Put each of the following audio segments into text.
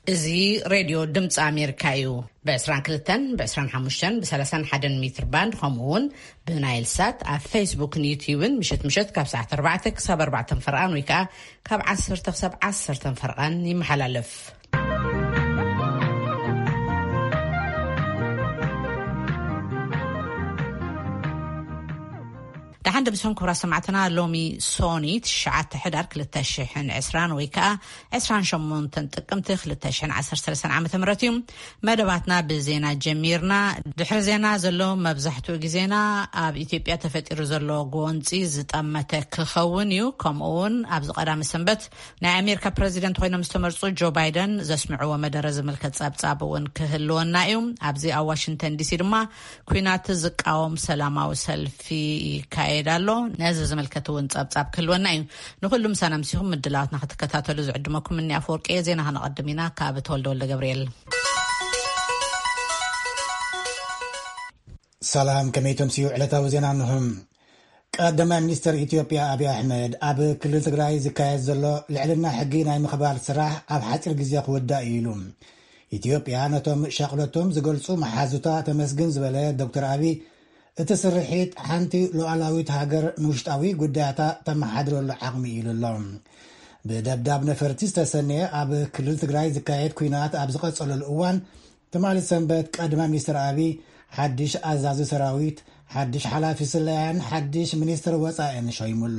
እዚ ሬድዮ ድምፂ ኣሜሪካ እዩ። ብ22፣ ብ25፣ ብ31 ሜትር ባንድ፣ ከምኡ እውን ብናይል ሳት ኣብ ፌስቡክን ዩትዩብን ምሸት ምሸት ካብ ሰዓት ኣርባዕተ ክሳብ ኣርባዕተ ፈርቓን ወይ ከዓ ካብ ዓሰርተ ክሳብ ዓሰርተ ፈርቓን ይመሓላለፍ። ደሓን ደምስኹም ክቡራት ሰማዕትና። ሎሚ ሶኒ ትሽዓተ ሕዳር ክልተ ሽሕን ዕስራን ወይ ከዓ ዕስራን ሸሞንተን ጥቅምቲ ክልተ ሽሕን ዓሰርተ ሰለስተን ዓመተ ምህረት እዩ። መደባትና ብዜና ጀሚርና። ድሕሪ ዜና ዘሎ መብዛሕትኡ ግዜና ኣብ ኢትዮጵያ ተፈጢሩ ዘሎ ጎንፂ ዝጠመተ ክኸውን እዩ። ከምኡ እውን ኣብዚ ቀዳሚ ሰንበት ናይ ኣሜሪካ ፕረዚደንት ኮይኖም ዝተመርፁ ጆ ባይደን ዘስምዕዎ መደረ ዝምልከት ጸብጻብ እውን ክህልወና እዩ። ኣብዚ ኣብ ዋሽንግተን ዲሲ ድማ ኲናት ዝቃወም ሰላማዊ ሰልፊ ይካየድ ኣሎ። ነዚ ዝምልከት እውን ጸብጻብ ክህልወና እዩ። ንኹሉ ምሳና ምሲኹም ምድላዋትና ክትከታተሉ ዝዕድመኩም እኒ ኣፈወርቂ እየ። ዜና ከነቐድም ኢና ካብ ተወልደ ወልደ ገብርኤል። ሰላም፣ ከመይ ተምስዩ ዕለታዊ ዜና እንሆ። ቀዳማይ ሚኒስትር ኢትዮጵያ ኣብይ ኣሕመድ ኣብ ክልል ትግራይ ዝካየድ ዘሎ ልዕልና ሕጊ ናይ ምኽባር ስራሕ ኣብ ሓፂር ግዜ ክውዳእ እዩ ኢሉ። ኢትዮጵያ ነቶም ሻቕሎቶም ዝገልጹ መሓዙታ ተመስግን ዝበለ ዶክተር ኣብይ፣ እቲ ስርሒት ሓንቲ ሉዓላዊት ሃገር ንውሽጣዊ ጉዳያታ ተመሓድረሉ ዓቕሚ እዩ ኢሉ ኣሎ። ብደብዳብ ነፈርቲ ዝተሰነየ ኣብ ክልል ትግራይ ዝካየድ ኲናት ኣብ ዝቐጸለሉ እዋን፣ ትማሊ ሰንበት ቀዳማይ ሚኒስትር ኣብይ ሓድሽ ኣዛዚ ሰራዊት፣ ሓድሽ ሓላፊ ስለያን ሓድሽ ሚኒስትር ወጻኢን ሾይሙ ኣሎ።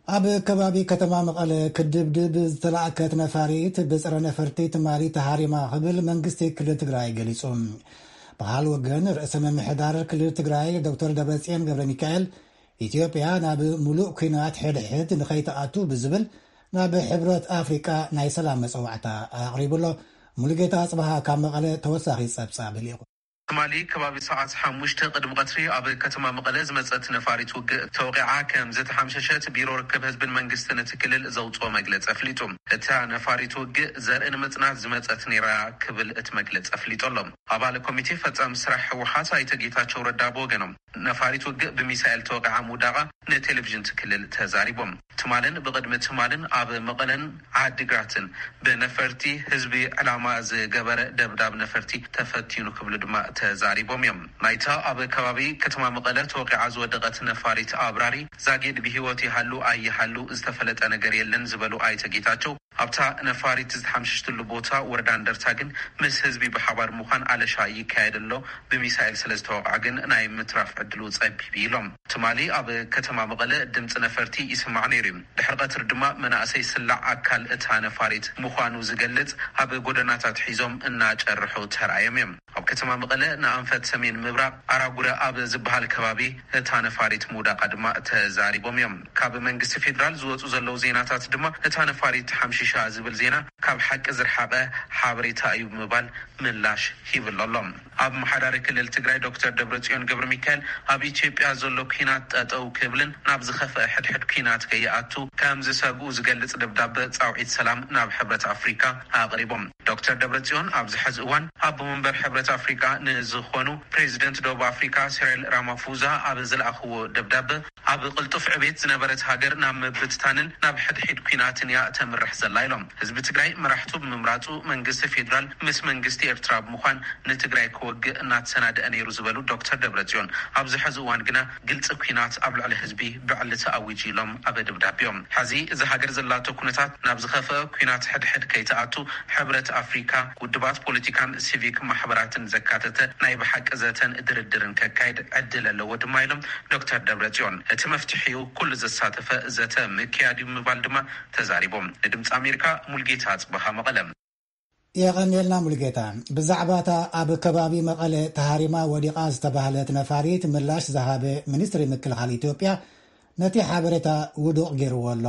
ኣብ ከባቢ ከተማ መቐለ ክድብድብ ዝተላእከት ነፋሪት ብጸረ ነፈርቲ ትማሊ ተሃሪማ ክብል መንግስቲ ክልል ትግራይ ገሊጹ። በሃል ወገን ርእሰ ምምሕዳር ክልል ትግራይ ዶክተር ደብረጽዮን ገብረ ሚካኤል፣ ኢትዮጵያ ናብ ሙሉእ ኲናት ሕድሕድ ንኸይትኣቱ ብዝብል ናብ ሕብረት ኣፍሪቃ ናይ ሰላም መጸዋዕታ ኣቕሪቡ ኣሎ። ሙሉጌታ ኣጽብሃ ካብ መቐለ ተወሳኺ ጸብጻብ ልኢኹ። ትማሊ ከባቢ ሰዓት ሓሙሽተ ቅድሚ ቀትሪ ኣብ ከተማ መቐለ ዝመጸት ነፋሪት ውግእ ተወቂዓ ከም ዝተሓምሸሸት ቢሮ ርክብ ህዝብን መንግስትን እቲ ክልል ዘውፅኦ መግለጺ ኣፍሊጡ። እታ ነፋሪት ውግእ ዘርኢ ንምጽናት ዝመጸት ነይራ ክብል እቲ መግለጺ ኣፍሊጡ ኣሎ። ኣባል ኮሚቴ ፈጻሚ ስራሕ ህወሓት ኣይተ ጌታቸው ረዳ ብወገኖም፣ ነፋሪት ውግእ ብሚሳኤል ተወቂዓ ምውዳቓ ንቴሌቪዥን እቲ ክልል ተዛሪቦም። ትማልን ብቕድሚ ትማልን ኣብ መቐለን ዓዲግራትን ብነፈርቲ ህዝቢ ዕላማ ዝገበረ ደብዳብ ነፈርቲ ተፈቲኑ ክብሉ ድማ ተዛሪቦም እዮም። ናይታ ኣብ ከባቢ ከተማ መቐለ ተወቂዓ ዝወደቐት ነፋሪት ኣብራሪ ዛጊድ ብህይወት ይሃሉ ኣይሃሉ ዝተፈለጠ ነገር የለን ዝበሉ ኣይተ ጌታቸው፣ ኣብታ ነፋሪት ዝተሓምሸሽትሉ ቦታ ወረዳ እንደርታ ግን ምስ ህዝቢ ብሓባር ምዃን ኣለሻ ይካየድ ኣሎ፣ ብሚሳኤል ስለ ዝተወቕዐ ግን ናይ ምትራፍ ዕድሉ ጸቢብ ኢሎም። ትማሊ ኣብ ከተማ መቐለ ድምፂ ነፈርቲ ይስማዕ ነይሩ እዩ። ድሕሪ ቀትሪ ድማ መናእሰይ ስላዕ ኣካል እታ ነፋሪት ምዃኑ ዝገልጽ ኣብ ጎደናታት ሒዞም እናጨርሑ ተራእዮም እዮም። ኣብ ከተማ መቐለ ንኣንፈት ሰሜን ምብራቕ ኣራጉረ ኣብ ዝበሃል ከባቢ እታ ነፋሪት ምውዳቓ ድማ ተዛሪቦም እዮም። ካብ መንግስቲ ፌዴራል ዝወፁ ዘለዉ ዜናታት ድማ እታ ነፋሪት ሓምሺሻ ዝብል ዜና ካብ ሓቂ ዝረሓቐ ሓበሬታ እዩ ብምባል ምላሽ ሂብሉ ኣሎ። ኣብ መሓዳሪ ክልል ትግራይ ዶክተር ደብረጽዮን ገብረ ሚካኤል ኣብ ኢትዮጵያ ዘሎ ኲናት ጠጠው ክብልን ናብ ዝኸፍአ ሕድሕድ ኲናት ከይኣቱ ከም ዝሰግኡ ዝገልጽ ደብዳበ ጻውዒት ሰላም ናብ ሕብረት ኣፍሪካ ኣቕሪቦም። ዶክተር ደብረጽዮን ኣብዚ ሕዚ እዋን ኣቦ መንበር ሕብረት ኣፍሪካ ንዝኾኑ ፕሬዚደንት ደቡብ ኣፍሪካ ሲሪል ራማፎዛ ኣብ ዝለኣኽዎ ደብዳበ፣ ኣብ ቅልጡፍ ዕቤት ዝነበረት ሃገር ናብ ምብትታንን ናብ ሕድሕድ ኲናትን እያ ተምርሕ ዘላ ኢሎም። ህዝቢ ትግራይ መራሕቱ ብምምራፁ መንግስቲ ፌዴራል ምስ መንግስቲ ኤርትራ ብምዃን ንትግራይ ክወግእ እናተሰናደአ ነይሩ ዝበሉ ዶክተር ደብረጽዮን፣ ኣብዚ ሕዚ እዋን ግና ግልፂ ኲናት ኣብ ልዕሊ ህዝቢ ብዕሊ ተኣዊጁ ኢሎም ኣብ ደብዳቤኦም። ሕዚ እዚ ሃገር ዘላቶ ኩነታት ናብ ዝኸፍአ ኲናት ሕድሕድ ከይትኣቱ ሕብረት ኣፍሪካ ውድባት ፖለቲካን ሲቪክ ማሕበራትን ዘካተተ ናይ ብሓቂ ዘተን ድርድርን ከካይድ ዕድል ኣለዎ ድማ ኢሎም ዶክተር ደብረጽዮን። እቲ መፍትሒኡ ኩሉ ዘሳተፈ ዘተ ምክያድ እዩ ምባል ድማ ተዛሪቦም። ንድምፂ ኣሜሪካ ሙልጌታ ኣጽበሃ መቐለ። የቐንየልና ሙልጌታ። ብዛዕባ እታ ኣብ ከባቢ መቐለ ተሃሪማ ወዲቓ ዝተባህለት ነፋሪት ምላሽ ዝሃበ ሚኒስትሪ ምክልኻል ኢትዮጵያ ነቲ ሓበሬታ ውዱቕ ገይርዎ ኣሎ።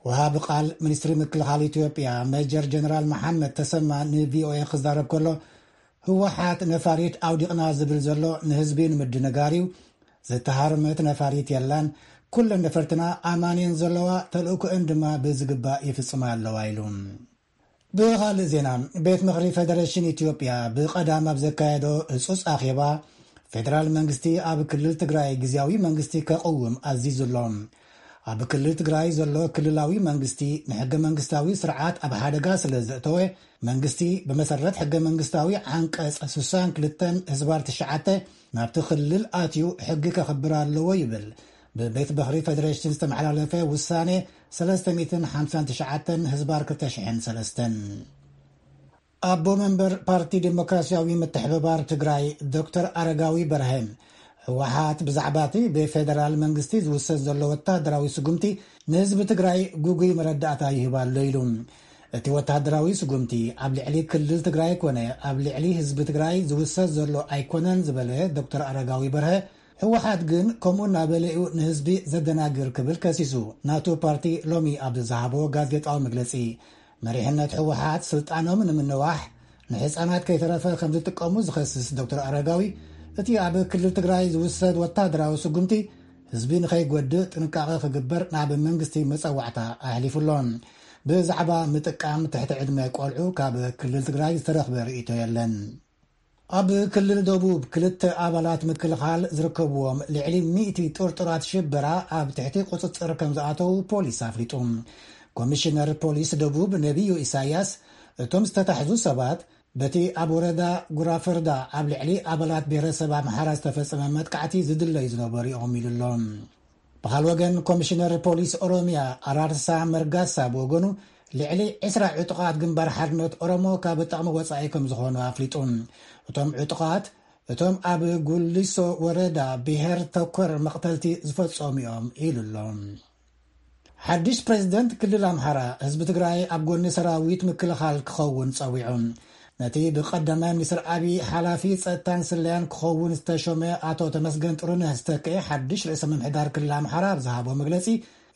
ወሃቢ ቃል ሚኒስትሪ ምክልኻል ኢትዮጵያ ሜጀር ጀነራል መሓመድ ተሰማ ንቪኦኤ ክዛረብ ከሎ፣ ህወሓት ነፋሪት ኣውዲቕና ዝብል ዘሎ ንህዝቢ ንምድንጋር እዩ። ዝተሃርመት ነፋሪት የላን። ኩለን ነፈርትና ኣማን እየን ዘለዋ፣ ተልእኮአን ድማ ብዝግባእ ይፍጽማ ኣለዋ ኢሉ። ብኻልእ ዜና፣ ቤት ምኽሪ ፌደሬሽን ኢትዮጵያ ብቐዳም ኣብ ዘካየዶ ህጹጽ ኣኼባ፣ ፌደራል መንግስቲ ኣብ ክልል ትግራይ ግዝያዊ መንግስቲ ከቕውም ኣዚዙ ኣሎ። ኣብ ክልል ትግራይ ዘሎ ክልላዊ መንግስቲ ንሕገ መንግስታዊ ስርዓት ኣብ ሓደጋ ስለ ዘእተወ፣ መንግስቲ ብመሰረት ሕገ መንግስታዊ ዓንቀጽ ስሳን ክልተን ህዝባር ትሽዓተ ናብቲ ክልል ኣትዩ ሕጊ ከኽብር ኣለዎ ይብል ብቤት በኽሪ ፌደሬሽን ዝተመሓላለፈ ውሳኔ ሰለስተ ሚእትን ሓምሳን ትሽዓተን ህዝባር ክልተ ሽሕን ሰለስተን። ኣቦ መንበር ፓርቲ ዴሞክራሲያዊ ምትሕብባር ትግራይ ዶክተር ኣረጋዊ በርሀ፣ ህወሓት ብዛዕባ እቲ ብፌደራል መንግስቲ ዝውሰድ ዘሎ ወታደራዊ ስጉምቲ ንህዝቢ ትግራይ ግጉይ መረዳእታ ይህብ ኣሎ ኢሉ። እቲ ወታደራዊ ስጉምቲ ኣብ ልዕሊ ክልል ትግራይ ኮነ ኣብ ልዕሊ ህዝቢ ትግራይ ዝውሰድ ዘሎ ኣይኮነን ዝበለ ዶክተር ኣረጋዊ በርሀ፣ ህወሓት ግን ከምኡ እናበለ እዩ ንህዝቢ ዘደናግር ክብል ከሲሱ። ናቱ ፓርቲ ሎሚ ኣብ ዝሃቦ ጋዜጣዊ መግለጺ፣ መሪሕነት ህወሓት ስልጣኖም ንምንዋሕ ንህፃናት ከይተረፈ ከም ዝጥቀሙ ዝኸስስ ዶክተር ኣረጋዊ፣ እቲ ኣብ ክልል ትግራይ ዝውሰድ ወታደራዊ ስጉምቲ ህዝቢ ንኸይጎድእ ጥንቃቐ ክግበር ናብ መንግስቲ መፀዋዕታ ኣሕሊፉ ኣሎ። ብዛዕባ ምጥቃም ትሕቲ ዕድመ ቆልዑ ካብ ክልል ትግራይ ዝተረኽበ ርእይቶ የለን። ኣብ ክልል ደቡብ ክልተ ኣባላት ምክልኻል ዝርከብዎም ልዕሊ ሚእቲ ጥርጡራት ሽበራ ኣብ ትሕቲ ቁፅፅር ከም ዝኣተዉ ፖሊስ ኣፍሊጡ። ኮሚሽነር ፖሊስ ደቡብ ነቢዩ ኢሳያስ፣ እቶም ዝተታሕዙ ሰባት በቲ ኣብ ወረዳ ጉራፈርዳ ኣብ ልዕሊ ኣባላት ብሄረሰብ ኣምሓራ ዝተፈጸመ መጥቃዕቲ ዝድለዩ ዝነበሩ እዮም ኢሉ ኣሎ። ብኻል ወገን ኮሚሽነር ፖሊስ ኦሮሚያ ኣራርሳ መርጋሳ ብወገኑ፣ ልዕሊ ዕስራ ዕጡቓት ግንባር ሓርነት ኦሮሞ ካብ ጥቕሚ ወጻኢ ከም ዝኾኑ ኣፍሊጡ። እቶም ዕጡቓት እቶም ኣብ ጉሊሶ ወረዳ ብሄር ተኮር መቕተልቲ ዝፈጸሙ እዮም ኢሉ ኣሎ። ሓድሽ ፕሬዝደንት ክልል ኣምሓራ ህዝቢ ትግራይ ኣብ ጎኒ ሰራዊት ምክልኻል ክኸውን ጸዊዑ። ነቲ ብቀዳማይ ሚኒስትር ኣብይ ሓላፊ ጸጥታን ስለያን ክኸውን ዝተሾመ ኣቶ ተመስገን ጥሩነህ ዝተክኤ ሓድሽ ርእሰ ምምሕዳር ክልል ኣምሓራ ኣብ ዝሃቦ መግለጺ፣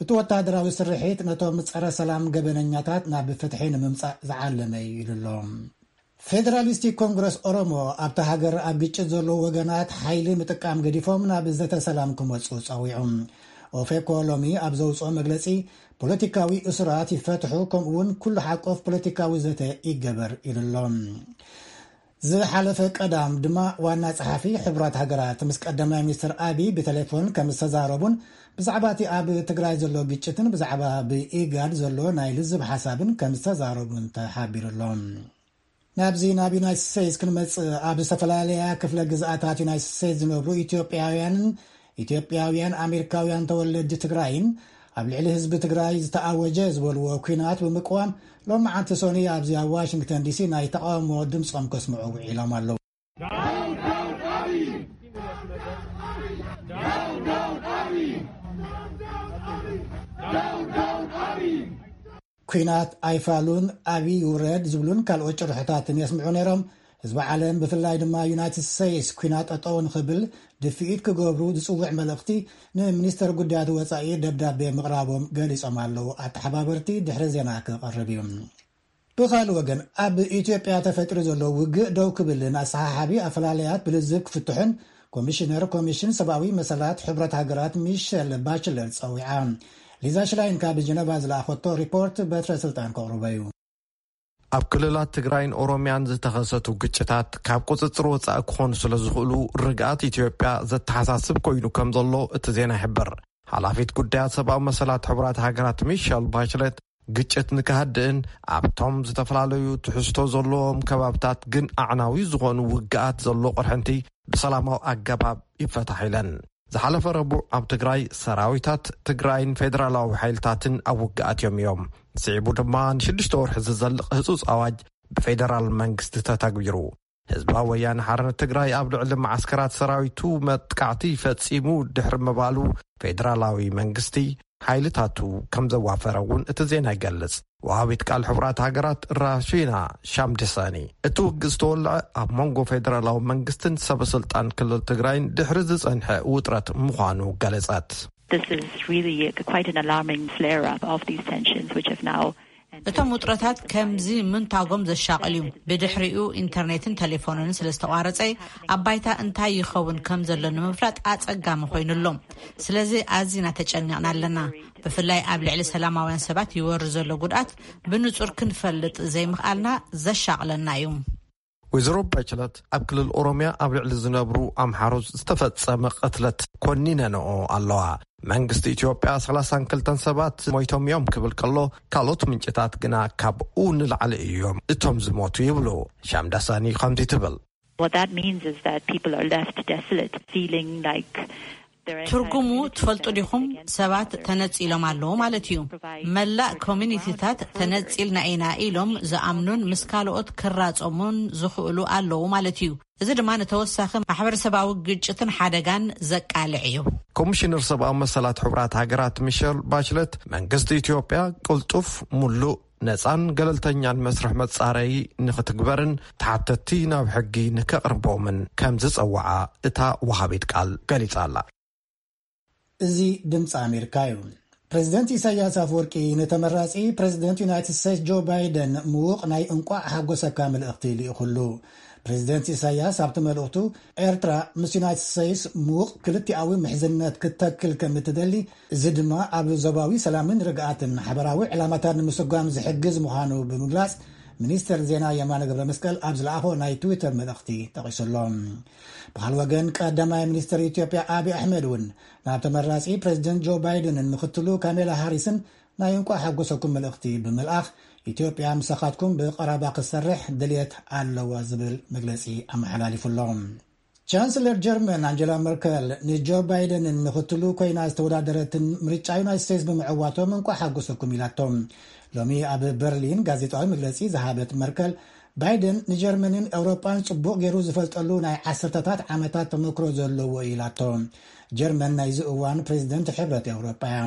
እቲ ወታደራዊ ስርሒት ነቶም ጸረ ሰላም ገበነኛታት ናብ ፍትሒ ንምምጻእ ዝዓለመ እዩ ኢሉ ኣሎ። ፌደራሊስቲክ ኮንግረስ ኦሮሞ ኣብታ ሃገር ኣብ ግጭት ዘለዉ ወገናት ሓይሊ ምጥቃም ገዲፎም ናብ ዘተ ሰላም ክመጹ ጸዊዑ። ኦፌኮ ሎሚ ኣብ ዘውጽኦ መግለጺ፣ ፖለቲካዊ እሱራት ይፈትሑ፣ ከምኡ እውን ኩሉ ሓቆፍ ፖለቲካዊ ዘተ ይገበር ኢሉ ኣሎ። ዝሓለፈ ቀዳም ድማ ዋና ጸሓፊ ሕቡራት ሃገራት ምስ ቀዳማይ ሚኒስትር ኣቢ ብቴሌፎን ከም ዝተዛረቡን ብዛዕባ እቲ ኣብ ትግራይ ዘሎ ግጭትን ብዛዕባ ብኢጋድ ዘሎ ናይ ልዝብ ሓሳብን ከም ዝተዛረቡን ተሓቢሩ ኣሎ። ናብዚ ናብ ዩናይትድ ስቴትስ ክንመጽእ፣ ኣብ ዝተፈላለያ ክፍለ ግዝኣታት ዩናይትድ ስቴትስ ዝነብሩ ኢትዮጵያውያንን ኢትዮጵያውያን ኣሜሪካውያን ተወለድቲ ትግራይን ኣብ ልዕሊ ህዝቢ ትግራይ ዝተኣወጀ ዝበልዎ ኲናት ብምቅዋም፣ ሎሚ ዓንቲ ሶኒ ኣብዚ ኣብ ዋሽንግተን ዲሲ ናይ ተቃውሞ ድምፆም ከስምዑ ውዒሎም ኣለዉ። ኲናት ኣይፋሉን፣ ኣብይ ይውረድ ዝብሉን ካልኦት ጭርሖታትን የስምዑ ነይሮም። ህዝቢ ዓለም፣ ብፍላይ ድማ ዩናይትድ ስቴትስ፣ ኲናት ጠጠው ንኽብል ድፍኢት ክገብሩ ዝጽውዕ መልእኽቲ ንሚኒስተር ጉዳያት ወጻኢ ደብዳቤ ምቕራቦም ገሊጾም ኣለዉ። ኣተሓባበርቲ ድሕሪ ዜና ክቐርብ እዩ። ብኻልእ ወገን፣ ኣብ ኢትዮጵያ ተፈጢሩ ዘሎ ውግእ ደው ክብልን ኣሰሓሓቢ ኣፈላላያት ብልዝብ ክፍትሑን ኮሚሽነር ኮሚሽን ሰብኣዊ መሰላት ሕብረት ሃገራት ሚሸል ባችለር ጸዊዓ። ሊዛ ሽላይን ካብ ጀነቫ ዝለኣኸቶ ሪፖርት በትረ ስልጣን ከቕርቦ እዩ። ኣብ ክልላት ትግራይን ኦሮሚያን ዝተኸሰቱ ግጭታት ካብ ቁፅፅር ወፃኢ ክኾኑ ስለ ዝኽእሉ፣ ርግኣት ኢትዮጵያ ዘተሓሳስብ ኮይኑ ከም ዘሎ እቲ ዜና ይሕብር። ሓላፊት ጉዳያት ሰብኣዊ መሰላት ሕቡራት ሃገራት ሚሸል ባችለት፣ ግጭት ንክሃድእን ኣብቶም ዝተፈላለዩ ትሕዝቶ ዘለዎም ከባብታት ግን ኣዕናዊ ዝኾኑ ውግኣት ዘሎ ቅርሕንቲ ብሰላማዊ ኣገባብ ይፈታሕ ኢለን። ዝሓለፈ ረቡዕ ኣብ ትግራይ ሰራዊታት ትግራይን ፌደራላዊ ሓይልታትን ኣብ ውግኣት እዮም እዮም። ስዒቡ ድማ ንሽዱሽተ ወርሒ ዝዘልቕ ህጹጽ ኣዋጅ ብፌደራል መንግስቲ ተተግቢሩ። ህዝባዊ ወያነ ሓርነት ትግራይ ኣብ ልዕሊ መዓስከራት ሰራዊቱ መጥቃዕቲ ፈጺሙ ድሕሪ ምባሉ፣ ፌደራላዊ መንግስቲ ሓይልታቱ ከም ዘዋፈረ እውን እቲ ዜና ይገልጽ። ወሃቢት ቃል ሕቡራት ሃገራት ራሺና ሻምድሳኒ፣ እቲ ውግእ ዝተወልዐ ኣብ መንጎ ፌደራላዊ መንግስትን ሰበስልጣን ክልል ትግራይን ድሕሪ ዝጸንሐ ውጥረት ምዃኑ ገለጸት። This is really quite an alarming flare-up of these tensions, which have now እቶም ውጥረታት ከምዚ ምንታጎም ዘሻቕል እዩ። ብድሕሪኡ ኢንተርኔትን ቴሌፎንን ስለ ዝተቋረጸ፣ ኣብ ባይታ እንታይ ይኸውን ከም ዘሎ ንምፍላጥ ኣጸጋሚ ኮይኑ ኣሎ። ስለዚ ኣዚና ተጨኒቕና ኣለና። ብፍላይ ኣብ ልዕሊ ሰላማውያን ሰባት ይወርድ ዘሎ ጉድኣት ብንጹር ክንፈልጥ ዘይምኽኣልና ዘሻቕለና እዩ። ወይዘሮ ባችለት ኣብ ክልል ኦሮሚያ ኣብ ልዕሊ ዝነብሩ ኣምሓሩ ዝተፈጸመ ቅትለት ኮኒነንኦ ኣለዋ። መንግስቲ ኢትዮጵያ ሰላሳን ክልተን ሰባት ሞይቶም እዮም ክብል ከሎ፣ ካልኦት ምንጭታት ግና ካብኡ ንላዕሊ እዮም እቶም ዝሞቱ ይብሉ። ሻምዳሳኒ ከምዚ ትብል። What that means is that people are left desolate, feeling like there are ትርጉሙ ትፈልጡ ዲኹም? ሰባት ተነጺሎም ኣለዉ ማለት እዩ። መላእ ኮሚኒቲታት ተነጺልና ኢና ኢሎም ዝኣምኑን ምስ ካልኦት ክራጸሙን ዝኽእሉ ኣለዉ ማለት እዩ። እዚ ድማ ንተወሳኺ ማሕበረሰባዊ ግጭትን ሓደጋን ዘቃልዕ እዩ። ኮሚሽነር ሰብኣዊ መሰላት ሕቡራት ሃገራት ሚሸል ባችለት መንግስቲ ኢትዮጵያ ቅልጡፍ፣ ሙሉእ፣ ነጻን ገለልተኛን መስርሕ መጻረዪ ንኽትግበርን ተሓተቲ ናብ ሕጊ ንከቕርቦምን ከም ዝጸውዓ እታ ወሃቢት ቃል ገሊጻ ኣላ። እዚ ድምፂ ኣሜሪካ እዩ። ፕሬዚደንት ኢሳያስ ኣፈወርቂ ንተመራፂ ፕሬዚደንት ዩናይትድ ስቴትስ ጆ ባይደን ምዉቕ ናይ እንቋዕ ሓጎሰካ መልእኽቲ ልኢኹሉ። ፕሬዚደንት ኢሳያስ ኣብቲ መልእኽቱ፣ ኤርትራ ምስ ዩናይትድ ስቴትስ ምዉቕ ክልቲኣዊ ምሕዝነት ክትተክል ከም እትደሊ፣ እዚ ድማ ኣብ ዞባዊ ሰላምን ርግኣትን ሓበራዊ ዕላማታት ንምስጓም ዝሕግዝ ምዃኑ ብምግላጽ፣ ሚኒስተር ዜና የማነ ገብረ መስቀል ኣብ ዝለኣኾ ናይ ትዊተር መልእኽቲ ጠቒሱ ኣሎ። ብኻልእ ወገን፣ ቀዳማይ ሚኒስተር ኢትዮጵያ ኣብይ ኣሕመድ እውን ናብ ተመራጺ ፕሬዚደንት ጆ ባይደንን ምኽትሉ ካሜላ ሃሪስን ናይ እንቋዕ ሓጎሰኩም መልእኽቲ ብምልኣኽ፣ ኢትዮጵያ ምሳኻትኩም ብቐረባ ክትሰርሕ ድልየት ኣለዋ ዝብል መግለጺ ኣመሓላሊፉ ኣሎ። ቻንስለር ጀርመን ኣንጀላ መርከል ንጆ ባይደንን ምኽትሉ ኮይና ዝተወዳደረትን ምርጫ ዩናይትድ ስቴትስ ብምዕዋቶም እንቋዕ ሓጎሰኩም ኢላቶም። ሎሚ ኣብ በርሊን ጋዜጣዊ መግለጺ ዝሃበት መርከል፣ ባይደን ንጀርመንን ኤውሮጳን ጽቡቕ ገይሩ ዝፈልጠሉ ናይ ዓሰርተታት ዓመታት ተመክሮ ዘለዎ እዩ ኢላቶ። ጀርመን ናይዚ እዋን ፕሬዚደንት ሕብረት ኤውሮጳ እያ።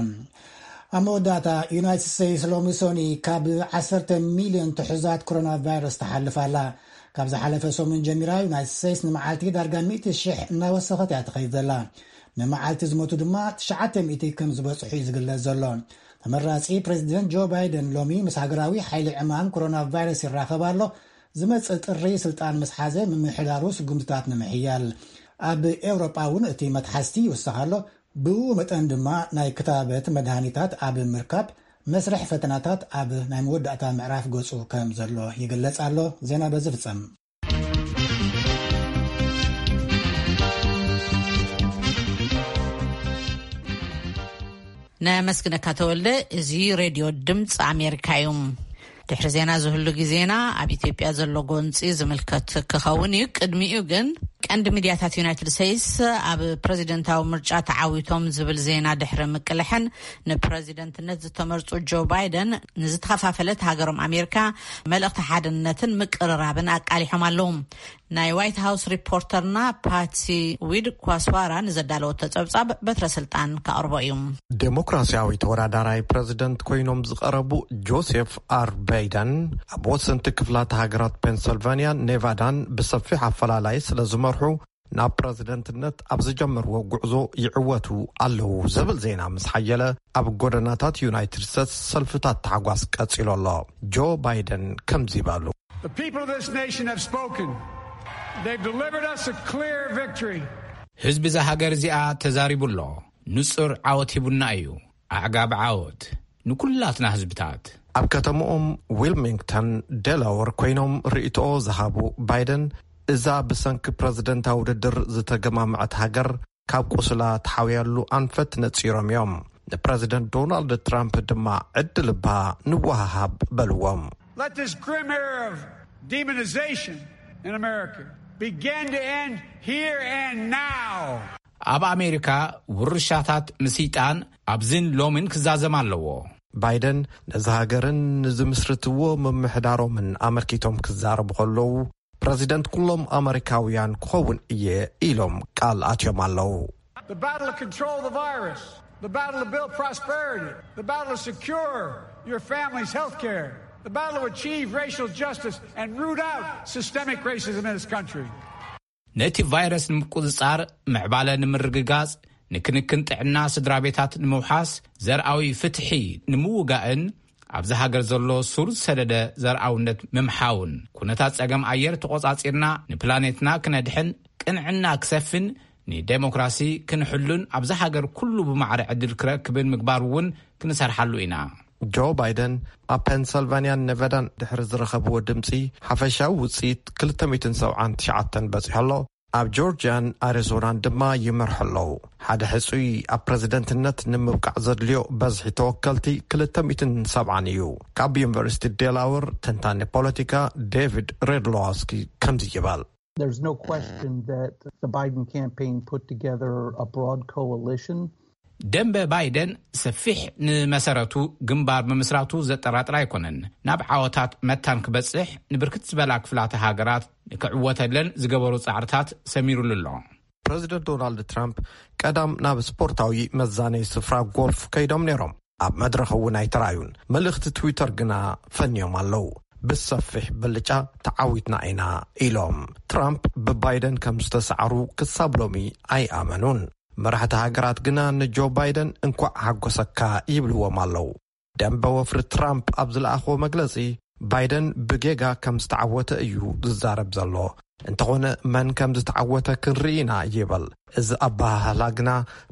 ኣብ መወዳእታ፣ ዩናይትድ ስቴትስ ሎሚ ሶኒ ካብ ዓሰርተ ሚልዮን ትሑዛት ኮሮና ቫይረስ ትሓልፍ ኣላ። ካብ ዝሓለፈ ሰሙን ጀሚራ፣ ዩናይትድ ስቴትስ ንመዓልቲ ዳርጋ ሚእቲ ሽሕ እናወሰኸት እያ ትኸይድ ዘላ። ንመዓልቲ ዝሞቱ ድማ ትሽዓተ ሚእቲ ከም ዝበጽሑ እዩ ዝግለጽ ዘሎ። ተመራጺ ፕሬዚደንት ጆ ባይደን ሎሚ ምስ ሃገራዊ ሓይሊ ዕማም ኮሮና ቫይረስ ይራኸብ ኣሎ። ዝመጽእ ጥሪ ስልጣን ምስ ሓዘ ምምሕዳሩ ስጉምትታት ንምሕያል። ኣብ ኤውሮጳ እውን እቲ መትሓዝቲ ይውሰኽ ኣሎ። ብኡ መጠን ድማ ናይ ክታበት መድሃኒታት ኣብ ምርካብ መስርሕ ፈተናታት ኣብ ናይ መወዳእታ ምዕራፍ ገጹ ከም ዘሎ ይግለጽ ኣሎ። ዜና በዚ ፍጸም። ነመስግነካ ተወልደ። እዚ ሬድዮ ድምፂ ኣሜሪካ እዩ። ድሕሪ ዜና ዝህሉ ግዜና ኣብ ኢትዮጵያ ዘሎ ጎንፂ ዝምልከት ክኸውን እዩ። ቅድሚኡ ግን ቀንዲ ሚድያታት ዩናይትድ ስቴትስ ኣብ ፕሬዚደንታዊ ምርጫ ተዓዊቶም ዝብል ዜና ድሕሪ ምቅልሐን ንፕሬዚደንትነት ዝተመርጹ ጆ ባይደን ንዝተኸፋፈለት ሃገሮም ኣሜሪካ መልእኽቲ ሓድነትን ምቅርራብን ኣቃሊሖም ኣለዉ። ናይ ዋይት ሃውስ ሪፖርተርና ፓትሲ ዊድ ኳስዋራ ንዘዳለወቶ ጸብጻብ በትረ ስልጣን ከቕርቦ እዩ። ዴሞክራሲያዊ ተወዳዳራይ ፕሬዚደንት ኮይኖም ዝቐረቡ ጆሴፍ ኣር ባይደን ኣብ ወሰንቲ ክፍላት ሃገራት ፔንሰልቫኒያን ኔቫዳን ብሰፊሕ ኣፈላላይ ስለ ዝመርሑ፣ ናብ ፕሬዚደንትነት ኣብ ዝጀመርዎ ጉዕዞ ይዕወቱ ኣለዉ ዝብል ዜና ምስ ሓየለ፣ ኣብ ጎደናታት ዩናይትድ ስቴትስ ሰልፍታት ታሕጓስ ቀጺሉ ኣሎ። ጆ ባይደን ከምዚ በሉ። The people of this nation have spoken. They've delivered us a clear victory. ህዝቢ እዛ ሃገር እዚኣ ተዛሪቡ ኣሎ። ንጹር ዓወት ሂቡና እዩ። ኣዕጋቢ ዓወት ንኩላትና ህዝብታት። ኣብ ከተማኦም ዊልሚንግተን ዴላወር ኮይኖም ርእይቶኦ ዝሃቡ ባይደን፣ እዛ ብሰንኪ ፕረዚደንታዊ ውድድር ዝተገማምዐት ሃገር ካብ ቁስላ ትሓውያሉ ኣንፈት ነጺሮም እዮም። ንፕረዚደንት ዶናልድ ትራምፕ ድማ ዕድል እባ ንወሃሃብ በልዎም። Let this grim era of demonization in America begin to end here and now. ኣብ ኣሜሪካ ውርሻታት ምስይጣን ኣብዝን ሎምን ክዛዘም ኣለዎ። ባይደን ነዚ ሃገርን ንዝምስርትዎ ምምሕዳሮምን ኣመልኪቶም ክዛረቡ ከለዉ፣ ፕረዚደንት ኩሎም ኣመሪካውያን ክኸውን እየ ኢሎም ቃል ኣትዮም ኣለዉ። The battle to control the virus, the battle to build prosperity, the battle to secure your family's health care, the battle to achieve racial justice and root out systemic racism in this country. ነቲ ቫይረስ ንምቁጽጻር፣ ምዕባለ ንምርግጋጽ፣ ንክንክን ጥዕና ስድራ ቤታት ንምውሓስ፣ ዘርኣዊ ፍትሒ ንምውጋእን ኣብዚ ሃገር ዘሎ ሱር ዝሰደደ ዘርኣውነት ምምሓውን፣ ኩነታት ጸገም ኣየር ተቖጻጺርና ንፕላኔትና ክነድሕን፣ ቅንዕና ክሰፍን፣ ንዴሞክራሲ ክንሕሉን ኣብዛ ሃገር ኩሉ ብማዕረ ዕድል ክረክብን ምግባር እውን ክንሰርሓሉ ኢና። ጆ ባይደን ኣብ ፔንሰልቫንያን ኔቫዳን ድሕሪ ዝረኸብዎ ድምፂ ሓፈሻዊ ውፅኢት ክልተ ሚእትን ሰብዓን ትሽዓተን በፂሑ ኣሎ። ኣብ ጆርጂያን ኣሪዞናን ድማ ይመርሑ ኣለዉ። ሓደ ሕፁይ ኣብ ፕረዚደንትነት ንምብቃዕ ዘድልዮ በዝሒ ተወከልቲ ክልተ ሚእትን ሰብዓን እዩ። ካብ ዩኒቨርሲቲ ዴላወር ተንታኒ ፖለቲካ ዴቪድ ሬድሎዋስኪ ከምዚ ይበል። There's no question that the Biden campaign put together a broad coalition. ደንበ ባይደን ሰፊሕ ንመሰረቱ ግንባር ምምስራቱ ዘጠራጥር ኣይኮነን። ናብ ዓወታት መታን ክበጽሕ ንብርክት ዝበላ ክፍላተ ሃገራት ንክዕወተለን ዝገበሩ ጻዕርታት ሰሚሩሉ ኣሎ። ፕረዚደንት ዶናልድ ትራምፕ ቀዳም ናብ ስፖርታዊ መዛነይ ስፍራ ጎልፍ ከይዶም ነይሮም። ኣብ መድረኽ እውን ኣይተራእዩን። መልእኽቲ ትዊተር ግና ፈንዮም ኣለዉ። ብሰፊሕ ብልጫ ተዓዊትና ኢና ኢሎም። ትራምፕ ብባይደን ከም ዝተሰዓሩ ክሳብ ሎሚ ኣይኣመኑን። መራሕቲ ሃገራት ግና ንጆ ባይደን እንኳዕ ሓጎሰካ ይብልዎም ኣለዉ። ደንበ ወፍሪ ትራምፕ ኣብ ዝለኣኽዎ መግለጺ፣ ባይደን ብጌጋ ከም ዝተዓወተ እዩ ዝዛረብ ዘሎ። እንተኾነ መን ከም ዝተዓወተ ክንርኢ ኢና ይብል። እዚ ኣበሃህላ ግና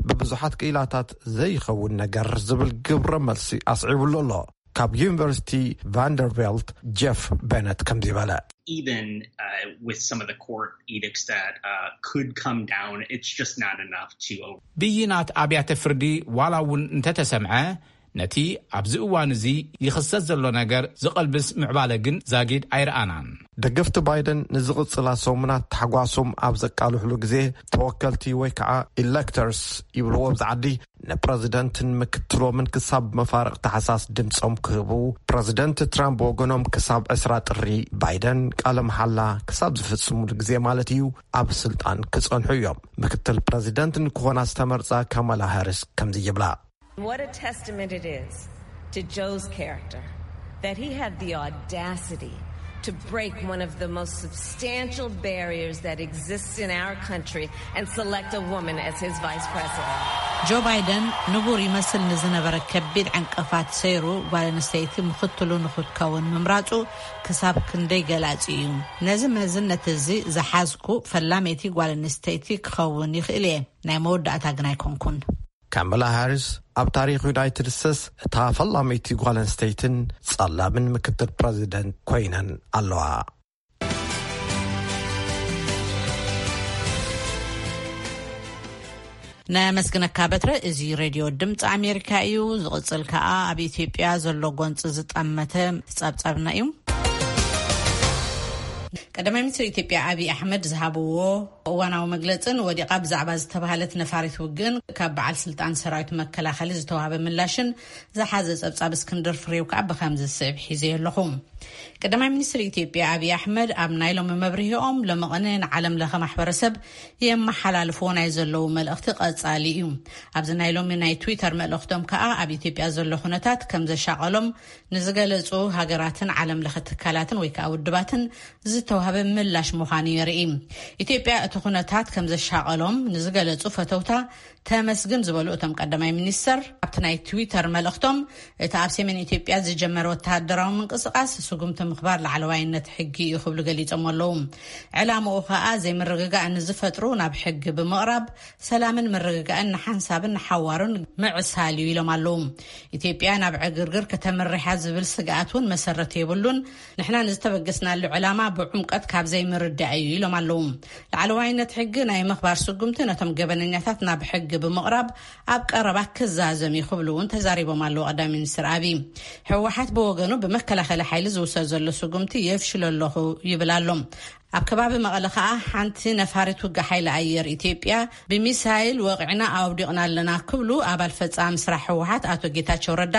ብብዙሓት ክኢላታት ዘይኸውን ነገር ዝብል ግብረ መልሲ ኣስዒቡሉ ኣሎ። ካብ ዩኒቨርሲቲ ቫንደርቬልት ጀፍ ቤነት ከምዚ በለ። Even uh, with some of the court edicts that uh, could come down, it's just not enough to over. ብይናት ኣብያተ ፍርዲ ዋላ እውን እንተተሰምዐ፣ ነቲ ኣብዚ እዋን እዚ ይኽሰት ዘሎ ነገር ዝቐልብስ ምዕባለ ግን ዛጊድ ኣይረኣናን። ደገፍቲ ባይደን ንዝቕጽላ ሰሙናት ታሕጓሶም ኣብ ዘቃልሕሉ ግዜ፣ ተወከልቲ ወይ ከዓ ኢሌክተርስ ይብልዎ ኣብዚ ዓዲ፣ ንፕረዚደንትን ምክትሎምን ክሳብ መፋርቕ ታሕሳስ ድምጾም ክህቡ፣ ፕረዚደንት ትራምፕ ወገኖም ክሳብ ዕስራ ጥሪ፣ ባይደን ቃለ መሓላ ክሳብ ዝፍጽሙሉ ግዜ ማለት እዩ፣ ኣብ ስልጣን ክጸንሑ እዮም። ምክትል ፕረዚደንት ንክኾና ዝተመርጻ ካማላ ሃሪስ ከምዚ ይብላ። What a testament it is to Joe's character that he had the audacity to break one of the most substantial barriers that exists in our country and select a woman as his vice president. ጆ ባይደን ንቡር ይመስል ንዝነበረ ከቢድ ዕንቅፋት ሰይሩ፣ ጓል ኣንስተይቲ ምኽትሉ ንኽትከውን ምምራጹ ክሳብ ክንደይ ገላጺ እዩ። ነዚ መዝነት እዚ ዝሓዝኩ ፈላመይቲ ጓል ኣንስተይቲ ክኸውን ይኽእል እየ፣ ናይ መወዳእታ ግን ኣይኮንኩን። ካማላ ሃሪስ ኣብ ታሪኽ ዩናይትድ ስቴትስ እታ ፈላመይቲ ጓል ኣንስተይትን ጸላምን ምክትል ፕረዚደንት ኮይነን ኣለዋ። ነመስግነካ በትረ። እዚ ሬድዮ ድምፂ ኣሜሪካ እዩ። ዝቕፅል ከኣ ኣብ ኢትዮጵያ ዘሎ ጎንፂ ዝጠመተ ጸብጻብና እዩ። ቀዳማይ ሚኒስትር ኢትዮጵያ ኣብይ ኣሕመድ ዝሃብዎ እዋናዊ መግለጽን ወዲቓ ብዛዕባ ዝተባህለት ነፋሪት ውግእን ካብ በዓል ስልጣን ሰራዊት መከላኸሊ ዝተዋህበ ምላሽን ዝሓዘ ጸብጻብ እስክንድር ፍሬው ከኣ ብኸምዚ ዝስዕብ ሒዘዮ ኣለኹ። ቀዳማይ ሚኒስትር ኢትዮጵያ ኣብይ ኣሕመድ ኣብ ናይ ሎሚ መብርሂኦም፣ ሎሚ ቅነ ንዓለም ለኸ ማሕበረሰብ የመሓላልፍዎ ናይ ዘለዉ መልእኽቲ ቀጻሊ እዩ። ኣብዚ ናይ ሎሚ ናይ ትዊተር መልእኽቶም ከኣ ኣብ ኢትዮጵያ ዘሎ ኩነታት ከም ዘሻቐሎም ንዝገለጹ ሃገራትን ዓለም ለኸ ትካላትን ወይ ከኣ ውድባትን ዝተዋህበ ምላሽ ምዃኑ የርኢ። ኢትዮጵያ እቲ ኩነታት ከም ዘሻቐሎም ንዝገለጹ ፈተውታ ተመስግን ዝበሉ እቶም ቀዳማይ ሚኒስተር፣ ኣብቲ ናይ ትዊተር መልእኽቶም፣ እቲ ኣብ ሰሜን ኢትዮጵያ ዝጀመረ ወተሃደራዊ ምንቅስቓስ ስጉምቲ ምኽባር ላዕለዋይነት ሕጊ እዩ ክብሉ ገሊጾም ኣለዉ። ዕላምኡ ኸኣ ዘይምርግጋእ ንዝፈጥሩ ናብ ሕጊ ብምቕራብ ሰላምን ምርግጋእን ንሓንሳብን ንሓዋሩን ምዕሳል እዩ ኢሎም ኣለዉ። ኢትዮጵያ ናብ ዕግርግር ከተምርሕ እያ ዝብል ስግኣት እውን መሰረት የብሉን። ንሕና ንዝተበገስናሉ ዕላማ ብዕምቀት ካብ ዘይምርዳእ እዩ ኢሎም ኣለዉ። ላዕለዋይነት ሕጊ ናይ ምኽባር ስጉምቲ ነቶም ገበነኛታት ናብ ሕጊ ብምቕራብ ኣብ ቀረባ ክዛዘም እዩ ክብሉ እውን ተዛሪቦም ኣለዉ ቀዳማይ ሚኒስትር ኣብይ። ህወሓት ብወገኑ ብመከላኸሊ ሓይሊ ዝውሰድ ዘሎ ስጉምቲ የፍሽሎ ኣለኹ ይብል ኣሎ። ኣብ ከባቢ መቐለ ኸኣ ሓንቲ ነፋሪት ውግእ ሓይሊ ኣየር ኢትዮጵያ ብሚሳይል ወቒዕና ኣውዲቕና ኣለና ክብሉ ኣባል ፈጻሚ ስራሕ ህወሓት ኣቶ ጌታቸው ረዳ